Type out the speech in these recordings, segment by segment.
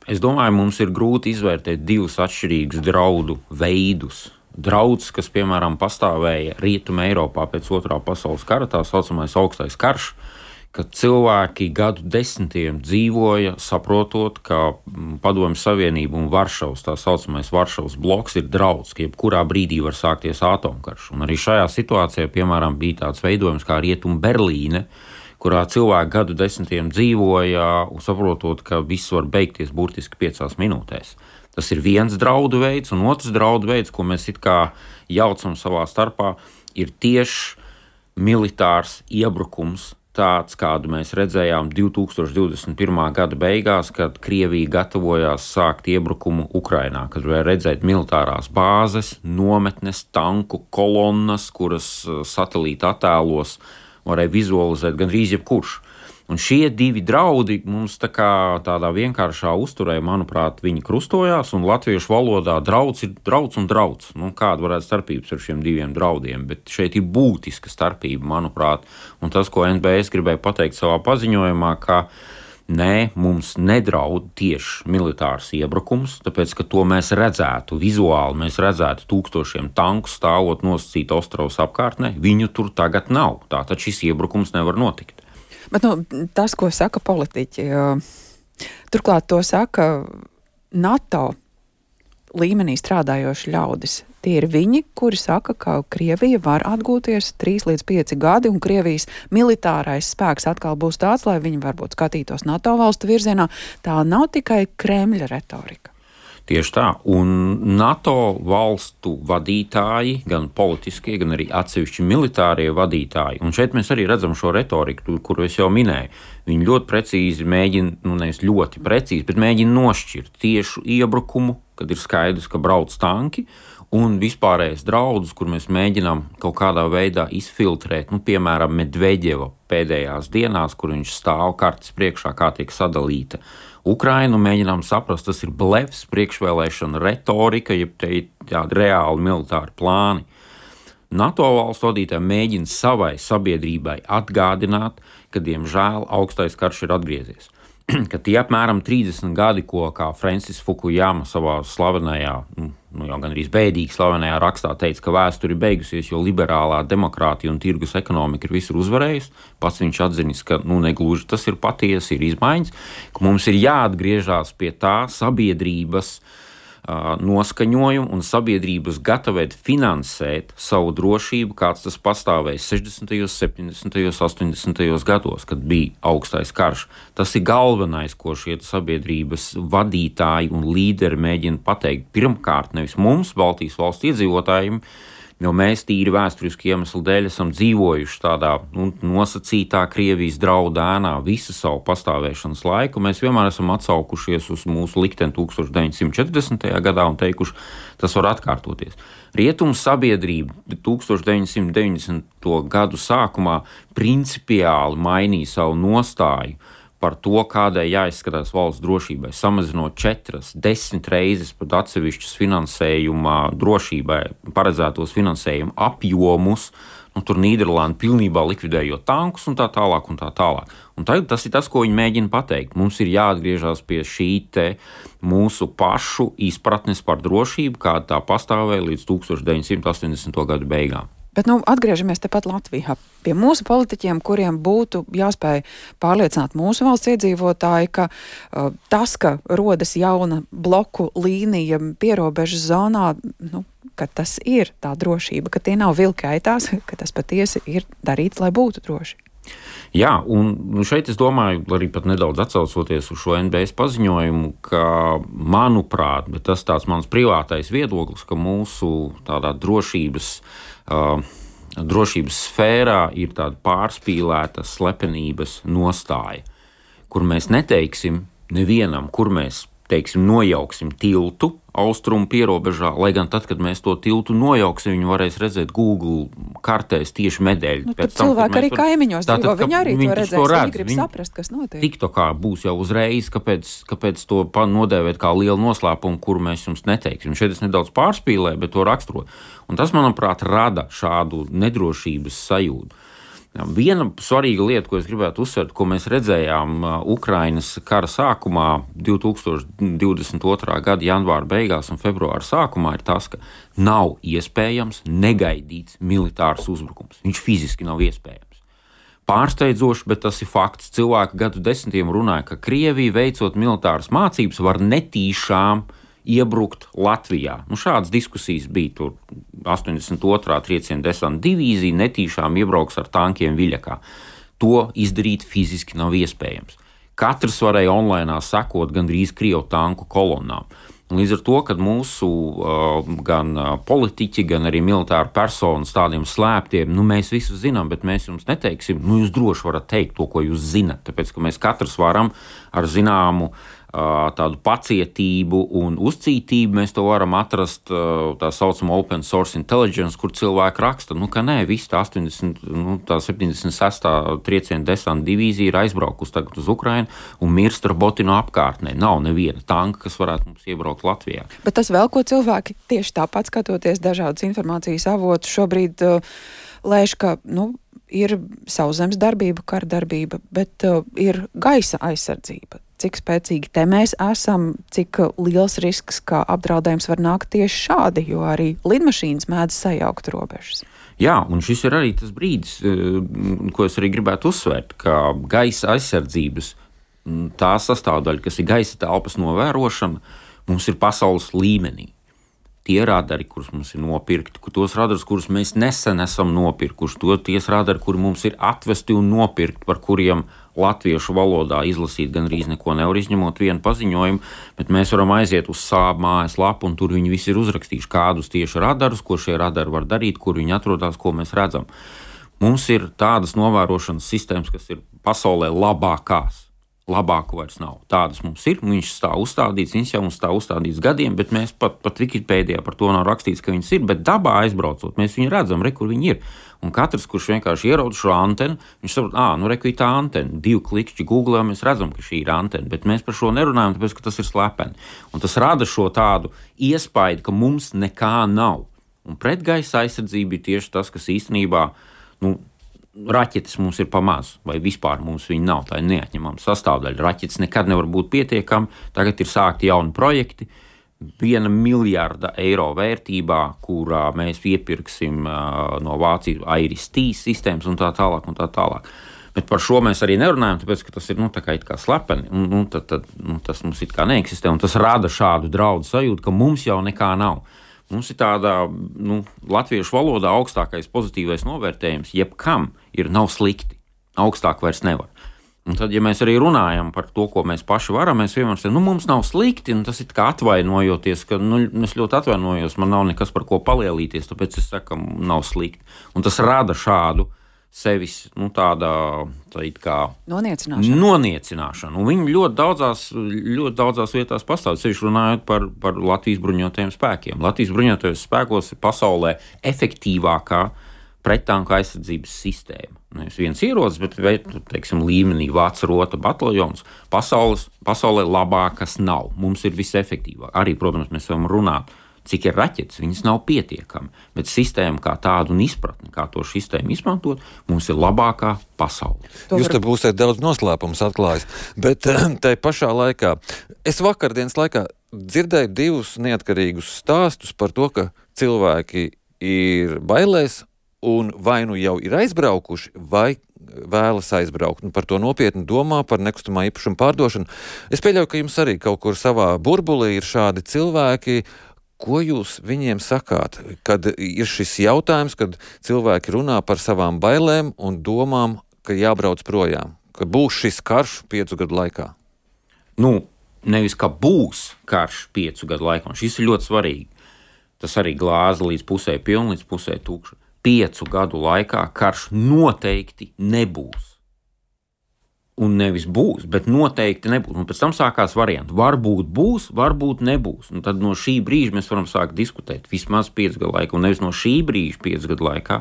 Es domāju, mums ir grūti izvērtēt divus atšķirīgus draudu veidus. Drauds, kas, piemēram, pastāvēja Rietumē Eiropā pēc Otrā pasaules kara, tā saucamais augstais karš, kad cilvēki gadu desmitiem dzīvoja, saprotot, ka Padomju Savienība un Varšavas, tā saucamais Varšavas bloks, ir drauds, ka jebkurā brīdī var sākties atomkarš. Un arī šajā situācijā, piemēram, bija tāds veidojums kā Rietum Berlīne, kurā cilvēki gadu desmitiem dzīvoja, saprotot, ka viss var beigties burtiski 5 minūtēs. Tas ir viens draudu veids, un otrs draudu veids, ko mēs it kā jaucam savā starpā, ir tieši militārs iebrukums, tāds, kādu mēs redzējām 2021. gada beigās, kad Krievija gatavojās sākt iebrukumu Ukrainā, kad varēja redzēt militārās bāzes, nometnes, tanku kolonnas, kuras satelīta attēlos varēja vizualizēt gandrīz jebkurš. Un šie divi draudi mums tādā vienkāršā uzturē, manuprāt, viņi krustojās, un latviešu valodā drauds ir drauds un drauds. Kāda varētu starpības ar šiem diviem draudiem, bet šeit ir būtiska starpība, manuprāt. Un tas, ko NBS gribēja pateikt savā paziņojumā, ka nē, mums nedraud tieši militārs iebrukums, tāpēc, ka to mēs redzētu vizuāli, mēs redzētu tūkstošiem tanku stāvot nosacīt Ostravas apkārtnē, viņu tur tagad nav. Tātad šis iebrukums nevar notikt. Bet tas, ko saka politiķi, turklāt to saka NATO līmenī strādājoši ļaudis. Tie ir viņi, kuri saka, ka Krievija var atgūties 3 līdz 5 gadi, un Krievijas militārais spēks atkal būs tāds, lai viņi varbūt skatītos NATO valstu virzienā. Tā nav tikai Kremļa retorika. Tieši tā, un NATO valstu vadītāji, gan politiskie, gan arī atsevišķi militārie vadītāji, un šeit mēs arī redzam šo retoriku, kuru es jau minēju, viņi ļoti precīzi mēģina, nevis ļoti precīzi, bet mēģina nošķirt tiešu iebrukumu, kad ir skaidrs, ka brauc tanki, un vispārējais draudus, kur mēs mēģinām kaut kādā veidā izfiltrēt, piemēram, Medveģeva pēdējās dienās, kur viņš stāv kartes priekšā, kā tiek sadalīta Ukrainu, mēģinām saprast, tas ir blefs, priekšvēlēšana retorika, jeb tādi reāli militāri plāni. NATO valstu vadītāji mēģina savai sabiedrībai atgādināt, ka, diemžēl, augstais karš ir atgriezies. Ka tie apmēram 30 gadi, ko kā Francis Fukuyama savā slavenajā, jau gan arī bēdīgi slavenajā rakstā teica, ka vēsture ir beigusies, jo liberālā demokrātija un tirgus ekonomika ir visur uzvarējusi. Pats viņš atzinis, ka negluži tas ir patiesi, ir izmaiņas, ka mums ir jāatgriežās pie tā sabiedrības noskaņojumu un sabiedrības gatavēt finansēt savu drošību, kāds tas pastāvēja 60., 70., 80. gados, kad bija augstais karš. Tas ir galvenais, ko šie sabiedrības vadītāji un līderi mēģina pateikt. Pirmkārt, nevis mums, Baltijas valsts iedzīvotājiem, jo mēs tīri vēsturiski iemeslu dēļ esam dzīvojuši tādā nosacītā Krievijas draudu ēnā visu savu pastāvēšanas laiku. Mēs vienmēr esam atsaukušies uz mūsu likteni 1940. gadā un teikuši, tas var atkārtoties. Rietumu sabiedrība 1990. gadu sākumā principiāli mainīja savu nostāju par to, kādai jāizskatās valsts drošībai, samazinot 4, 10 reizes pat atsevišķus finansējuma drošībai paredzētos finansējuma apjomus, tur Nīderlanda pilnībā likvidējot tankus un tā tālāk un tā tālāk. Un tagad tas ir tas, ko viņi mēģina pateikt. Mums ir jāatgriežas pie šī mūsu pašu izpratnes par drošību, kāda tā pastāvēja līdz 1980. gadu beigām. Bet atgriežamies tepat Latvijā pie mūsu politiķiem, kuriem būtu jāspēj pārliecināt mūsu valsts iedzīvotāji, ka tas, ka rodas jauna bloku līnija pierobežas zonā, ka tas ir tā drošība, ka tie nav vilki aitās, ka tas patiesi ir darīts, lai būtu droši. Jā, un šeit es domāju, arī pat nedaudz atsaucoties uz šo NBS paziņojumu, ka, manuprāt, bet tas tāds mans privātais viedoklis, ka mūsu tādā drošības sfērā ir tāda pārspīlēta slepenības nostāja, kur mēs neteiksim nevienam, kur mēs nojauksim tiltu austrumu pierobežā, lai gan tad, kad mēs to tiltu nojauksim, viņi varēs redzēt Google kartēs tieši medaļu. Cilvēki arī kaimiņos dzīvo, viņi arī to redzēs, viņi grib saprast, kas notiek. TikTokā būs jau uzreiz, kāpēc to nodēvēt kā lielu noslēpumu, kuru mēs jums neteiksim. Šeit es nedaudz pārspīlēju, bet to raksturo. Un tas, manuprāt, rada šādu nedrošības sajūtu. Viena svarīga lieta, ko es gribētu uzsvērt, ko mēs redzējām Ukrainas kara sākumā, 2022. Gada janvāra beigās un februāra sākumā, ir tas, ka nav iespējams negaidīts militārs uzbrukums. Viņš fiziski nav iespējams. Pārsteidzoši, bet tas ir fakts. Cilvēki gadu desmitiem runāja, ka Krievija, veicot militāras mācības, var netīšām iebrukt Latvijā. Šādas diskusijas bija tur. 82. trieciena desanta divīzija netīšām iebrauks ar tankiem Viļakā. To izdarīt fiziski nav iespējams. Katrs varēja online sekot gandrīz Krievu tanku kolonnām. Līdz ar to, kad mūsu gan politiķi, gan arī militāri personas tādiem slēptiem, mēs visu zinām, bet mēs jums neteiksim, jūs droši varat teikt to, ko jūs zinat, tāpēc, ka mēs katrs varam ar zināmu tādu pacietību un uzcītību, mēs to varam atrast tā saucamo open source intelligence, kur cilvēki raksta, ka nē, viss tā 76. trieciena desanta divīzija ir aizbraukusi tagad uz Ukrainu un mirst ar Botinu apkārtnē. Nav neviena tanka, kas varētu mums iebraukt Latvijā. Bet tas vēl, ko cilvēki tieši tāpat skatoties dažādas informācijas avotus šobrīd lēš, ka, ir sauszemes darbība, kara darbība, bet ir gaisa aizsardzība. Cik spēcīgi te mēs esam, cik liels risks, ka apdraudējums var nākt tieši šādi, jo arī lidmašīnas mēdz sajaukt robežas. Jā, un šis ir arī tas brīdis, ko es arī gribētu uzsvērt, ka gaisa aizsardzības tā sastāvdaļa, kas ir gaisa telpas novērošana, mums ir pasaules līmenī. Tie radari, kurus mums ir nopirkti, tos radarus, kurus mēs nesen esam nopirkuši, tie radari, kuri mums ir atvesti un nopirkti, par kuriem latviešu valodā izlasīt gandrīz neko nevar, izņemot vienu paziņojumu, bet mēs varam aiziet uz Saab mājaslapu, un tur viņi visi ir uzrakstījuši, kādus tieši radarus, ko šie radari var darīt, kur viņi atrodas, ko mēs redzam. Mums ir tādas novērošanas sistēmas, kas ir pasaulē labākās. Labāku vairs nav. Tādas mums ir, viņš stāv uzstādīts, viņš jau mums stāv uzstādīts gadiem, bet mēs pat Wikipēdijā par to nav rakstīts, ka viņas ir, bet dabā aizbraucot, mēs viņu redzam, kur viņi ir. Un katrs, kurš vienkārši ierauda šo antenu, viņš saprot, ir tā antena, 2 klikšķi Google, mēs redzam, ka šī ir antena, bet mēs par šo nerunājam, tāpēc, ka tas ir slepeni. Un tas rada šo tādu iespaidu, ka mums nekā nav. Un pretgaisa aizsardzība ir tieši tas, kas īstenībā, raķetes mums ir pamaz, vai vispār mums viņa nav, tā ir neatņemama sastāvdaļa. Raķetes nekad nevar būt pietiekami, tagad ir sākti jauni projekti, 1 miljārda eiro vērtībā, kurā mēs iepirksim no Vācijas Iris-T sistēmas un tā tālāk. Bet par šo mēs arī nerunājam, tāpēc, ka tas ir tā kā it kā slepeni, tad tas mums it kā neeksistē, un tas rada šādu draudu sajūtu, ka mums jau nekā nav. Mums ir tāda, latviešu valodā augstākais pozitīvais novērtējums, jebkam nav slikti, augstāk vairs nevar. Un tad, ja mēs arī runājam par to, ko mēs paši varam, mēs vienmēr sakām, mums nav slikti, un tas ir kā atvainojoties, ka es ļoti atvainojos, man nav nekas par ko palielīties, tāpēc es saku, ka nav slikti. Un tas rada šādu sevis tāda kā noniecināšana. Un viņi ļoti daudzās vietās pastāv, sevišķi runājot par Latvijas bruņotajiem spēkiem. Latvijas bruņotajos spēkos ir pasaulē efektīvākā prettanku aizsardzības sistēma. Nevis viens ierocis, bet teiksim, līmenī Vācu rota bataljons pasaulē labākas nav. Mums ir visefektīvāk. Arī, protams, mēs varam runāt, cik ir raķetes, viņas nav pietiekami, bet sistēma kā tāda un izpratne, kā to sistēmu izmantot, mums ir labākā pasaule. Jūs te būsiet daudz noslēpums atklājis, bet tai pašā laikā, es vakardienas laikā dzirdēju 2 neatkarīgus stāstus par to, ka cilvēki ir bailēs un vai jau ir aizbraukuši, vai vēlas aizbraukt. Un par to nopietni domā, par nekustamā īpašuma pārdošanu. Es pieļauju, ka jums arī kaut kur savā burbulī ir šādi cilvēki. Ko jūs viņiem sakāt, kad ir šis jautājums, kad cilvēki runā par savām bailēm un domām, ka jābrauc projām, ka būs šis karš 5 gadu laikā? Nevis, ka būs karš 5 gadu laikā, un šis ir ļoti svarīgi. Tas arī glāze līdz pusē pilna, līdz pusē tukša. 5 gadu laikā karš noteikti nebūs. Un nevis būs, bet noteikti nebūs. Un pēc tam sākās varianti. Varbūt būs, varbūt nebūs. Un tad no šī brīža mēs varam sākt diskutēt. Vismaz 5 gadu laikā, un nevis no šī brīža 5 gadu laikā.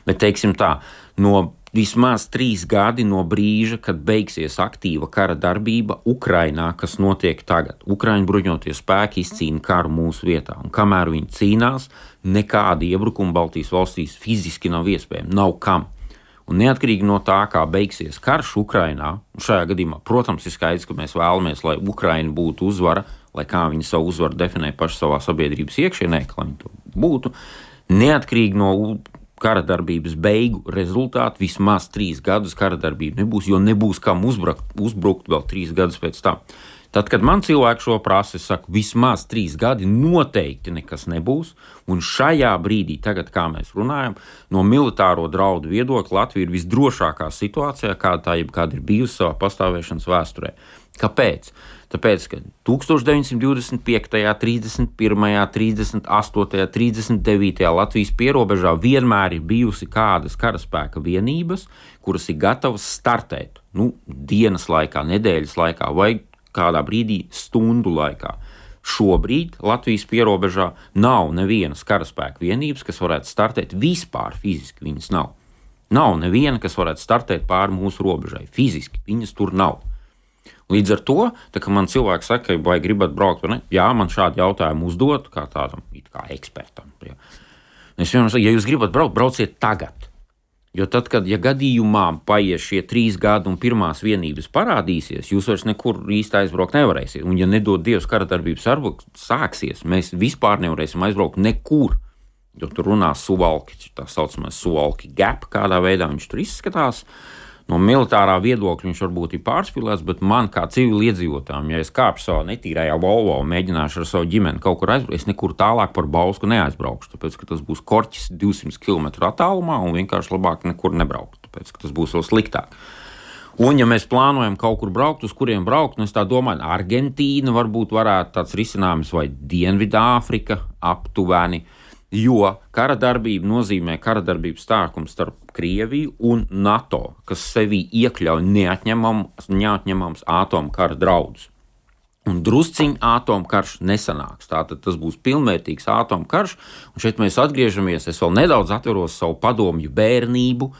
Bet, teiksim tā, no vismaz 3 gadi no brīža, kad beigsies aktīva kara darbība Ukrainā, kas notiek tagad. Ukraiņu bruņotie spēki izcīna karu mūsu vietā. Un kamēr viņi cīnās, nekādi iebrukumi Baltijas valstīs fiziski nav iespējami. Nav kam. Un neatkarīgi no tā, kā beigsies karš Ukrainā, un šajā gadījumā, protams, ir skaidrs, ka mēs vēlamies, lai Ukraina būtu uzvara, lai kā viņi savu uzvaru definē paši savā sabiedrības iekšienē, lai viņi to būtu, neatkarīgi no kara darbības beigu rezultātu, vismaz 3 gadus kara darbība nebūs, jo nebūs kam uzbrukt vēl 3 gadus pēc tam. Tad, kad man cilvēki šo prasa, es saku, vismaz 3 gadi noteikti nekas nebūs, un šajā brīdī, tagad, kā mēs runājam, no militāro draudu viedokļa Latvija ir visdrošākā situācijā, kāda ir bijusi savā pastāvēšanas vēsturē. Kāpēc? Tāpēc, ka 1925., 31., 38., 39. Latvijas pierobežā vienmēr ir bijusi kādas karaspēka vienības, kuras ir gatavas startēt, dienas laikā, nedēļas laikā vai kādā brīdī stundu laikā. Šobrīd Latvijas pierobežā nav nevienas karaspēka vienības, kas varētu startēt vispār fiziski. Viņas nav. Nav neviena, kas varētu startēt pāri mūsu robežai. Fiziski viņas tur nav. Līdz ar to, kad man cilvēki saka, vai gribat braukt, vai ne? Jā, man šādi jautājumi uzdot, kā tādam kā ekspertam. Jā. Es vienmēr saku, ja jūs gribat braukt, brauciet tagad. Jo tad, kad gadījumā paies šie 3 gadi un pirmās vienības parādīsies, jūs vairs nekur īsti aizbraukt nevarēsiet. Un ja nedod Dievs kara darbības sāksies, mēs vispār nevarēsim aizbraukt nekur. Jo tur runās Suvalki, tā saucamais Suvalki gap, kādā veidā viņš tur izskatās. No militārā viedokļa viņš varbūt ir pārspīlēts, bet man kā civiliedzīvotājiem, ja es kāpšu savā netīrajā Volvo un mēģināšu ar savu ģimeni kaut kur aizbraukt, es nekur tālāk par Bausku neaizbraukšu, tāpēc, ka tas būs korķis 200 km attālumā un vienkārši labāk nekur nebraukt, tāpēc, ka tas būs vēl sliktāk. Un, ja mēs plānojam kaut kur braukt, uz kuriem braukt, es tā domāju, Argentīna varbūt varētu tāds risinājums vai Dienvidāfrika aptuveni, jo kara darbība nozīmē kara darbības sākumu starp Krieviju un NATO, kas sevī iekļauj neatņemams atomkara draudus. Un drusciņ atomkarš nesanāks. Tātad tas būs pilnvērtīgs atomkarš, un šeit mēs atgriežamies, es vēl nedaudz atveros savu padomju bērnību,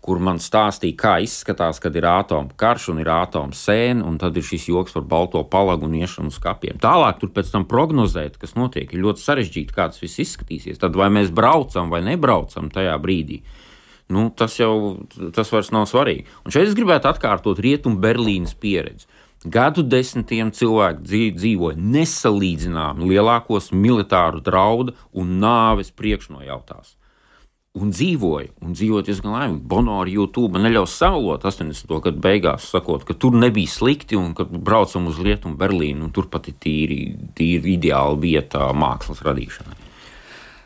kur man stāstīja, kā izskatās, kad ir atomkarš un ir atomsēne, un tad ir šis joks par balto palagu un iešanu uz kapiem. Tālāk tur pēc tam prognozēt, kas notiek, ir ļoti sarežģīti, kā tas viss izskatīsies. Tad vai mēs braucam vai nebraucam tajā brīdī, tas vairs nav svarīgi. Un šeit es gribētu atkārtot Rietumu Berlīnas pieredzi. Gadu desmitiem cilvēki dzīvoja nesalīdzināmi lielākos militāru draudu un nāves priekšnojautās. Un dzīvoja diezgan laimīgi. Bono ar YouTube neļaus savalot 80. gadu beigās, sakot, ka tur nebija slikti un ka braucam uz Rietumu Berlīnu un tur pat ir tīri ideāla vieta mākslas radīšanai.